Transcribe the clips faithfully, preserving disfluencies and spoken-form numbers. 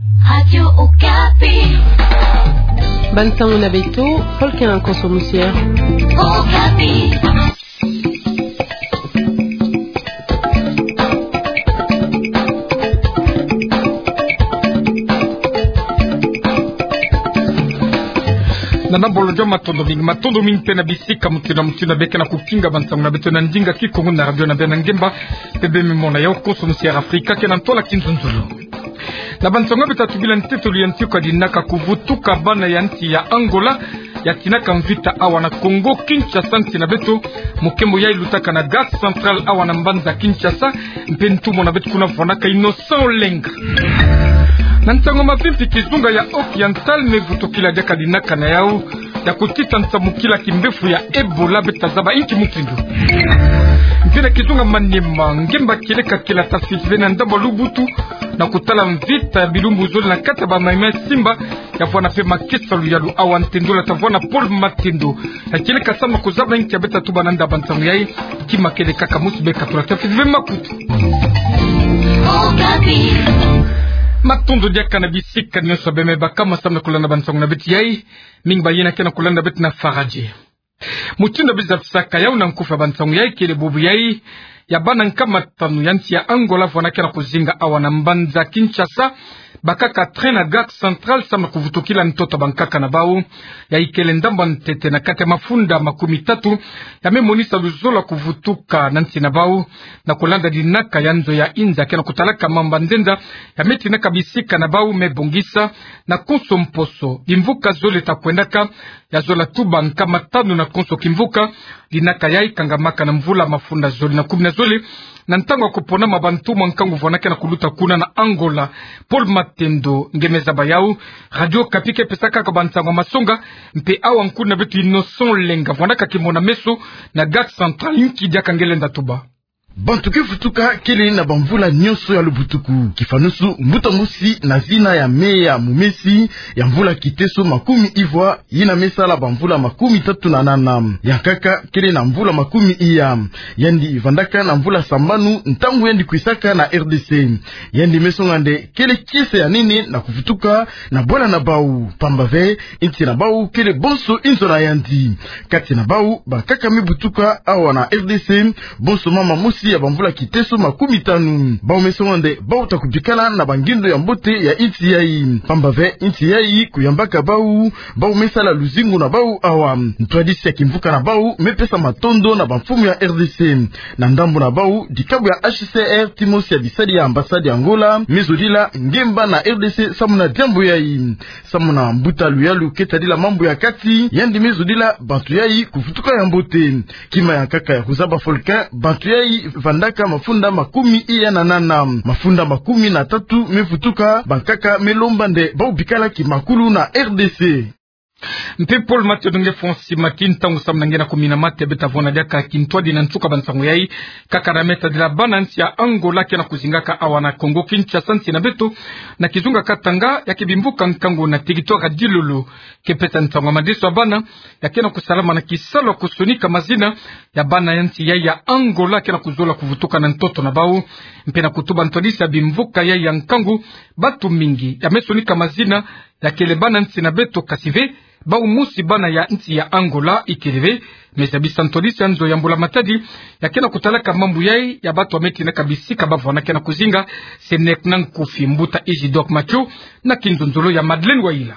Radio Okapi. Bansango na beto, Volcan Konso Musière. Okapi. Na nambolo joma matondo mingi, matondo mingi mpe na bisika mutindu na mutindu beka na kukinga bansango na beto na ndinga Kikongo na radio na beno ya ngemba, mpe beno me mona yawu Konso Musière Afrika ke na ntwala kinzonzolo. Na bansango beto tubila ntetolo ya nti kwa dinaka kuvutuka bana ya nsi ya Angola, ya tinaka mvita awa na Kongo Kinshasa nsi na beto, mokembo yayi lutaka na Gare Centrale awa na mbanza Kinshasa, mpe ntumwa na beto kuna vwanaka Innocent Olenga. Na nsango mavimpi, kizunga ya Oriental me vutukila diaka dinaka na yawu ya kutita nsamukila kimbefu ya Ebola, beto ta zaba inki mutindu. Mpe na kizunga Maniema, ngemba kieleka kiela ta sisve na ndambu ya Lubutu, na kutala mvita ya bilumbu zole na kati ya ba Maïmaï Simba, ya vwanda mpe makesa luyalu awa. Ntendula ta vwanda Paul Matendo. Ya kieleka samu na kuzaba inki ya beto ta tuba na nda bansango yayi, kima kieleka ka musi beka tula ta sisve makutu. Matondo diaka na bisika nyonso beno me baka ma samu na kulanda bansango na beto yayi. Mingi bayina ke na kulanda beto na Faradje. Mutindu biza bisaka yawu na nkufi ya bansango yayi, kele bubu yayi ya bana nkama tanu ya nsi ya Angola vwana ke na kuzinga awa na mbanza Kinshasa, bakaka train na Gare Centrale samu na kuvutukila ntoto ya bankaka na bawu. Yayi kele ndambu ya ntete na kati ya mafunda makumi tatu ya me monisa luzolo ya kuvutuka na nsi na bawu, na kulanda dinaka ya nzo ya inza ke na kutalaka mambu ya nzenza ya me tinaka bisika na bawu me bongisa. Na konso mposo bimvuka zole ta kwendaka, ya zola tuba nkama tanu na konso kimvuka. Dinaka yayi kangamaka na mvula mafunda zole na kumi na zole, na ntangu ya kuponama bantumwa nkangu vwana ke na kuluta kuna na Angola. Paul Matendo nge me zaba yawu. Radio Okapi ke pesaka kaka bansango ya masonga, mpe awa nkundi na beto Innocent Olenga vwandaka kimona meso na Gare Centrale. Inki diaka nge lenda tuba? Bantu ke vutuka kele na bamvula nyonso ya lubutuku. Kifanusu, mbuta mosi na zina ya Meya Mumesi, ya mvula kiteso makumi ivwa, yina me sala bamvula makumi tatu na nana. Ya nkaka kele na mvula makumi iya. Yandi vandaka na mvula sambanu ntangu yandi kwisaka na R D C. Yandi me songa nde kele kiese ya nene na kuvutuka na bwala na bawu. Pamba ve, inti na bawu kele bonso inzo na yandi. Kati na bawu, bankaka me butuka awa na R D C, bonso mama mosi ya bamvula kiteso makumi tanu. Bawu me songa nde bawu ta kubikala na bangindo ya mbote ya inti yayi. Pamba ve, inti yayi kuyambaka bawu, bawu me sala luzingu na bawu awa. Ntwadisi ya kimvuka na bawu me pesa matondo na bamfumu ya R D C. Na ndambu na bawu, dikabu ya H C R, ti mosi ya bisadi ya ambassade ya Angola, me zodila ngemba na R D C samu na diambu yayi. Samu na mbuta luyalu ke tadila mambu ya kati, yandi me zodila bantu yayi kuvutuka ya mbote. Kima ya nkaka ya kuzaba Volcan, bantu yayi vandaka mafunda makumi iya na nana. Mafunda makumi na tatu me vutuka, bankaka me lomba nde bawu bikala kimakulu na R D C. Mpe Paul Matendo nge fonsi mati ntangu samu na nge na kumina mate. Beto ta vona diaka kintwadi na nsuka bansango yayi, kaka na me tadila bana nsi ya Angola ke na kuzingaka awa na Kongo Kinshasa nsi na beto, na kizunga Katanga, ya ke bimvuka nkangu na territoire ya Dilolo, ke pesa nsangu ya madeso ya bana ya ke na kusalama na kisalu ya kusonika mazina ya bana ya nsi yayi ya Angola ke na kuzola kuvutuka na ntoto na bawu. Mpe na kutuba ntwadisi ya bimvuka yayi ya nkangu, bantu mingi ya me sonika mazina ya kele bana nsi na beto, kasi ve bawu mosi bana ya nsi ya Angola. Ikele ve me zabisa ntwadisi ya nzo ya Mbula Matadi ya ke na kutalaka mambu yayi ya bantu ya me tinaka bisika ba vwana ke na kuzinga. Senek na nkufi mbuta Isidore Mathieu na kinzonzolo ya Madeleine Wayila.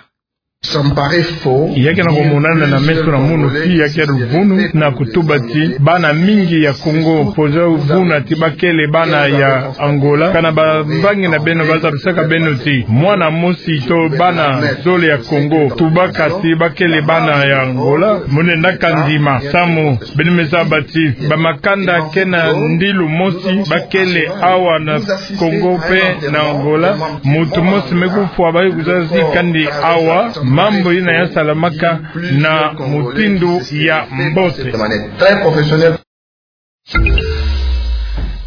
Ya ke na kumonana na meso na munu ti ya ke luvunu na kutuba ti bana mingi ya Kongo poza vuna ti ba kele bana ya Angola. Kana bamvangi na beno ba zabisaka beno ti mwana mosi to bana zole ya Kongo tubaka ti ba kele bana ya Angola? Mo lenda ka ndima, samu beno me zaba ti bamakanda ke na ndilu mosi ba kele awa na Kongo mpe na Angola. Muntu mosi me kufwa ba ye kuzaba ti kandi awa mambu yina ya salamaka na mutindu ya mbote.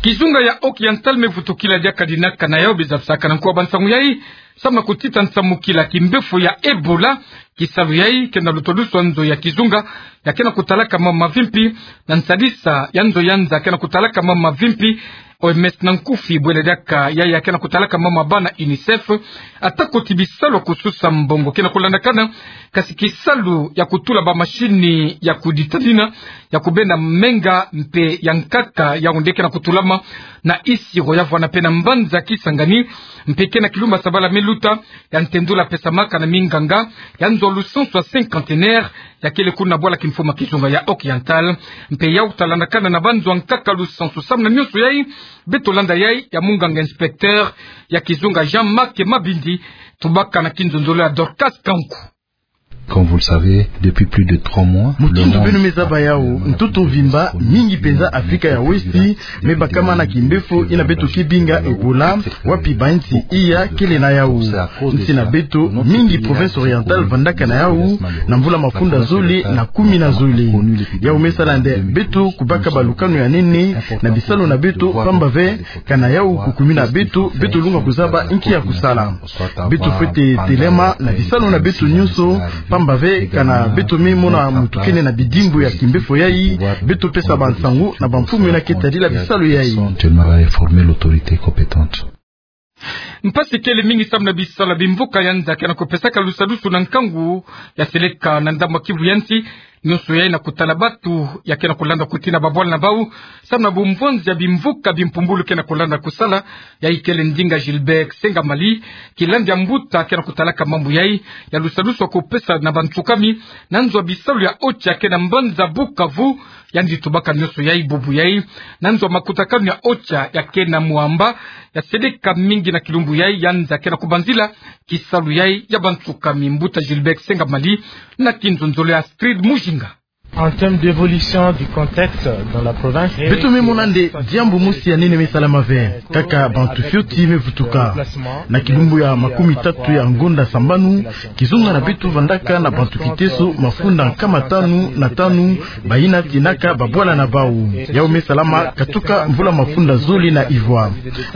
Kizunga ya Oriental me vutukila diaka dinaka na yawu. Biza bisaka na nkuwa bansango yayi samu na kutita nsamukila kimbefu ya Ebola. Kisalu yayi ke na lutwadusu ya nzo ya kizunga ya ke na kutalaka mambu mavimpi, na nsadisa ya nzo ya nza ke na kutalaka mambu mavimpi. O M S na nkufi, bwela diaka yai ya ke na kutalaka mama bana UNICEF, atako ti bisalu ya kususa mbongo ke na kulandakana, kasi kisalu ya kutula bamashini ya kuditalina, ya kubenda menga mpe ya nkaka, yau nde ke na kutulama na isiro ya vwana mpe na mbanza Kisangani, mpe ke na kilumbu ya sabala me luta, ya ntendula pesamaka na minganga ya nzo ya lusansu ya cinquantenaire, ya kele kuna bwala kimfuma kizunga ya Occidental. Mpe yau talandakana na banzo ya nkaka lusansu. Samu na nionso yai, beto landa yai ya munganga inspecteur ya kizunga Jean-Marc Mabindi, tubaka na kinzonzolo ya Dorcas Kanku. Comme vous le savez, depuis plus de trois mois, mutindu beno me zaba yau, ntoto mvimba, mingi mpenza Afrika ya Westi me bakama na kimbefo ina beto ke binga Ebola, wapi bansi iya kele na yau. Nsi na beto, mingi province orientale vandaka na yau, na mvula mafunda zole na kumi na zole. Yau me sala nde beto kubaka balukanu ya nene na bisalu na beto, pamba ve kana yau kukumina beto, beto lunga kuzaba nki ya kusala. Beto fwete telema na bisalu na beto nionso, pamba ve kana beto me mona mutu kele na bidimbu ya kimbefo yai, beto pesa bansangu na bamfumu ina ke tadila bisalu yai. Actuellement, va informer l'autorité compétente. Mpasi kele mingi samu na bisalu ya bimvuka ya nza ke na kupesaka lusadusu na nkangu ya seleka na ndambu ya Kivu ya nsi. Nionso yai na kutala batu ya ke na kulanda kutina babwala na bau, samu na bumvwanzi ya bimvuka bimpumbulu ke na kulanda kusala. Yai kele ndinga Gilbert Sengamali, kilandi ya mbuta ke na kutalaka mambu yai ya lusadusu ya kupesa na bantsukami, na nzo ya bisalu ya OCHA ke na mbanza Bukavu. Yandi tubaka nionso yai bubu yai na nzo ya makutakanu ya OCHA ya ke na mwamba ya seleka mingi na kilumbu yai, ya nza ke na kubanzila kisalu yai ya bantsukami. Mbuta Gilbert Sengamali na kinzonzolo ya Astrid Mujinga. En termes d'évolution du contexte dans la province, beto me mona nde diambu mosi ya nene me salama ve, kaka bantu fioti me vutuka. Na kilumbu ya makumi tatu ya ngonda sambanu, kizunga na beto vandaka na bantu kiteso mafunda nkama tanu na tanu, bayina tinaka babwala na bau. Yau me salama katuka mvula mafunda zole na ivwa.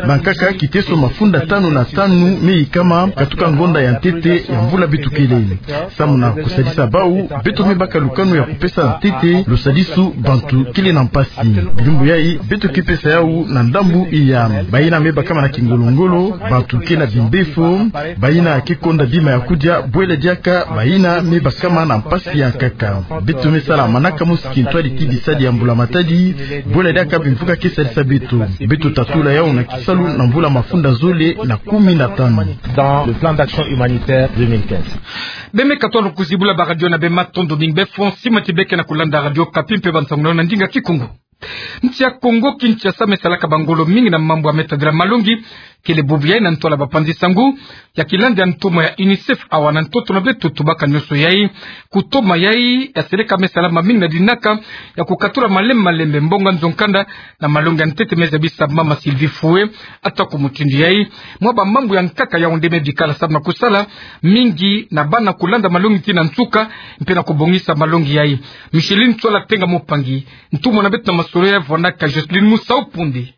Bankaka kiteso mafunda tanu na tanu me yikama katuka ngonda ya ntete ya mvula beto kele. Samu na kusadisa bau, beto me baka lukanu ya kupesa ntete lusadisu bantu kele na mpasi. Bilumbu yai, beto ke pesa yau na ndambu iya. Bayina me bakama na kingolongolo, bantu ke na bimbefo, bayina ke konda bima ya kudia, bwela diaka bayina me bakama na mpasi ya nkaka. Beto me sala manaka mosi kintwadi ti bisadi ya mbula matadi, bwela diaka bimvuka ke sadisa beto. Beto tatula yau na kisalu na mvula mafunda zole na kumi na tanu. Dans le plan d'action humanitaire deux mille quinze. Beno me katuka kuzibula baradio na beno, matondo mingi. Beno fwete sima ti beno ke na kulanda Radio Okapi mpe bansangu na yo na ndinga Kikongo. Nsi ya Kongo Kinshasa me salaka bangolo mingi na mambu ya me tadila malongi, kele bubu yai na ntwala bapanzi sangu ya kilandi ya ntumwa ya UNICEF awa na ntoto na beto. Tubaka nionso yai, kutoma yai ya seleka me salama mingi na dinaka ya kukatula malembe malembe mbongo ya nzo-nkanda na malongi ya ntete me zabisa mama Sylvie Fouet. Atako mutindu yai, mwa bamambu ya nkaka yau nde me bikala samu na kusala mingi na bana kulanda malongi tii na nsuka, mpe na kubongisa malongi yai. Micheline Tswala Tenga Mupangi, ntumwa na beto na masolo yai vwandaka Jocelyne Musau Pundi.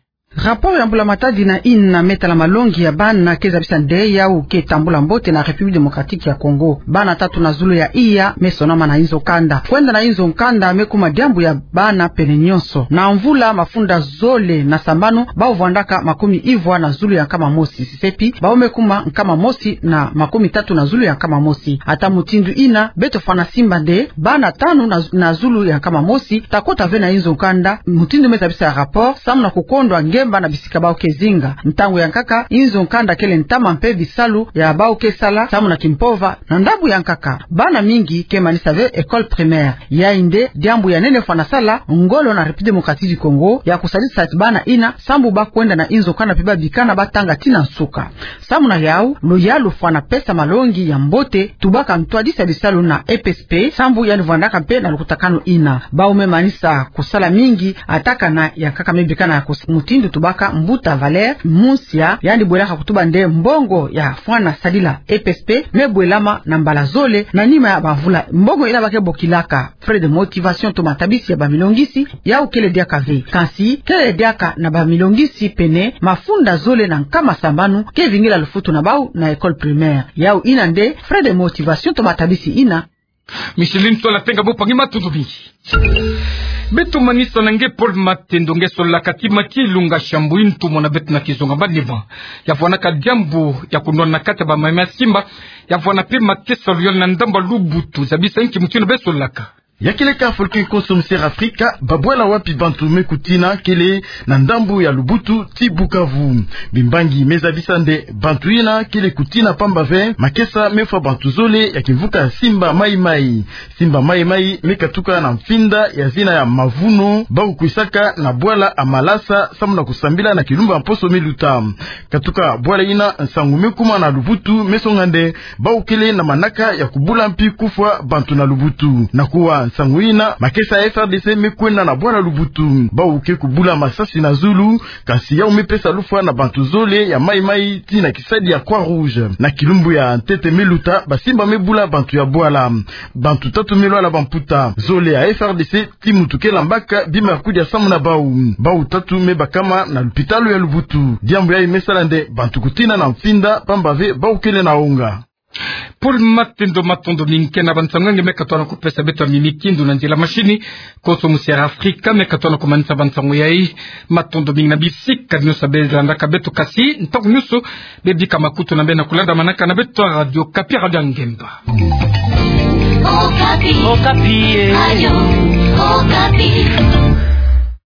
Rapport ya mbula matadi na ina me tala malongi ya bana ke zabisa nde yau ke tambula mbote na République Démocratique ya Congo. Bana tatu na zulu ya iya me sonama na inzo-nkanda. Kwenda na inzo-nkanda me kuma diambu ya bana pene nionso. Na mvula mafunda zole na sambanu, bau vwandaka makumi ivwa na zulu ya nkama mosi. Sisi pi, bau me kuma nkama mosi na makumi tatu na zulu ya nkama mosi. Ata mutindu ina, beto fwana simba nde bana tanu na, na zulu ya nkama mosi ta kota ve na inzo-nkanda, mutindu me zabisa rapport, samu na kukondwa ngemba na bisika bau ke zinga. Ntangu ya nkaka, inzo-nkanda kele ntama mpe bisalu ya bau ke sala samu na kimpova. Na ndambu ya nkaka, bana mingi ke manisa ve école primaire. Yai nde diambu ya nene fwana sala ngolo na République Démocratique du Congo ya kusadisa ti bana ina, sambu ba kwenda na inzo-nkanda mpe ba bikana ba tanga tii na nsuka. Samu na yau, luyalu fwana pesa malongi ya mbote, tubaka ntwadisi ya bisalu na E P S P, sambu yandi vwandaka mpe na lukutakanu ina. Bau me manisa kusala mingi, ata kana ya nkaka me bikana ya kus-, mutindu tubaka mbuta Valère Munsia, yandi bwelaka kutuba nde mbongo ya fwana sadila E P S P me bwelama na mbala zole na nima ya bamvula. Mbongo ina ba ke bokilaka frais de motivation to matabisi ya bamilongisi, yau kele diaka ve. Kansi, kele diaka na bamilongisi pene mafunda zole na nkama sambanu ke vingila lufutu na bau na école primaire. Yau ina nde frais de motivation to matabisi ina. Micheline Tswala Tenga Mupangi, matondo mingi. Beto manisa na nge Paul Matendo nge solaka ti mati lunga shambu intu mona beto na kizunga banima. Ya vwanaka diambu ya kunwana kati ya bamayi ma simba. Ya vwana pe makesa luyole na ndambu ya Lubutu. Zabisa nki mutindu beto solaka. Ya kele ka folke konso mu Sierra Afrika, babwala wapi bantu me kutina kele na ndambu ya Lubutu ti Bukavu. Bimbangi me zabisa nde bantu yina kele kutina pamba ve makesa me fwa bantu zole ya kimvuka Simba Maï Maï. Simba Maï Maï me katuka na mfinda ya zina ya Mavuno, bawu kwisaka na bwala ya Malasa samu na kusambila na kilumbu ya mposo me luta. Katuka bwala yina, nsangu me kuma na Lubutu me songa nde bawu kele na manaka ya kubula mpi kufwa bantu na Lubutu. Na kuwa nsangu yina, makesa ya F R D C me kwenda na bwala Lubutu. Bawu ke kubula masasi na zulu, kasi yawu me pesa lufwa na bantu zole ya Maï Maï tii na kisadi ya Croix Rouge. Na kilumbu ya ntete me luta, basimba me bula bantu ya bwala. Bantu tatu me lwala bamputa. Zole ya F R D C ti mutu ke lambaka bima ya kudia samu na bawu. Bawu tatu me bakama na lupitalu ya Lubutu. Diambu yayi me sala nde bantu kutina na mfinda, pamba ve bawu kele na wonga. Paul Matendo, matondo mingi. Ke na bansangu nge me katona kupesa beto ya mimi kindu na nzila mashini, konso mu Sierra Afrika me katona kumanisa bansangu yayi. Matondo mingi na bisika nyonso be landaka beto, kasi ntangu nyonso be bika makutu na beno na kulanda manaka na beto ya Radio Okapi, Radio ya Ngemba. Okapi. Okapi, eh. Radio Okapi.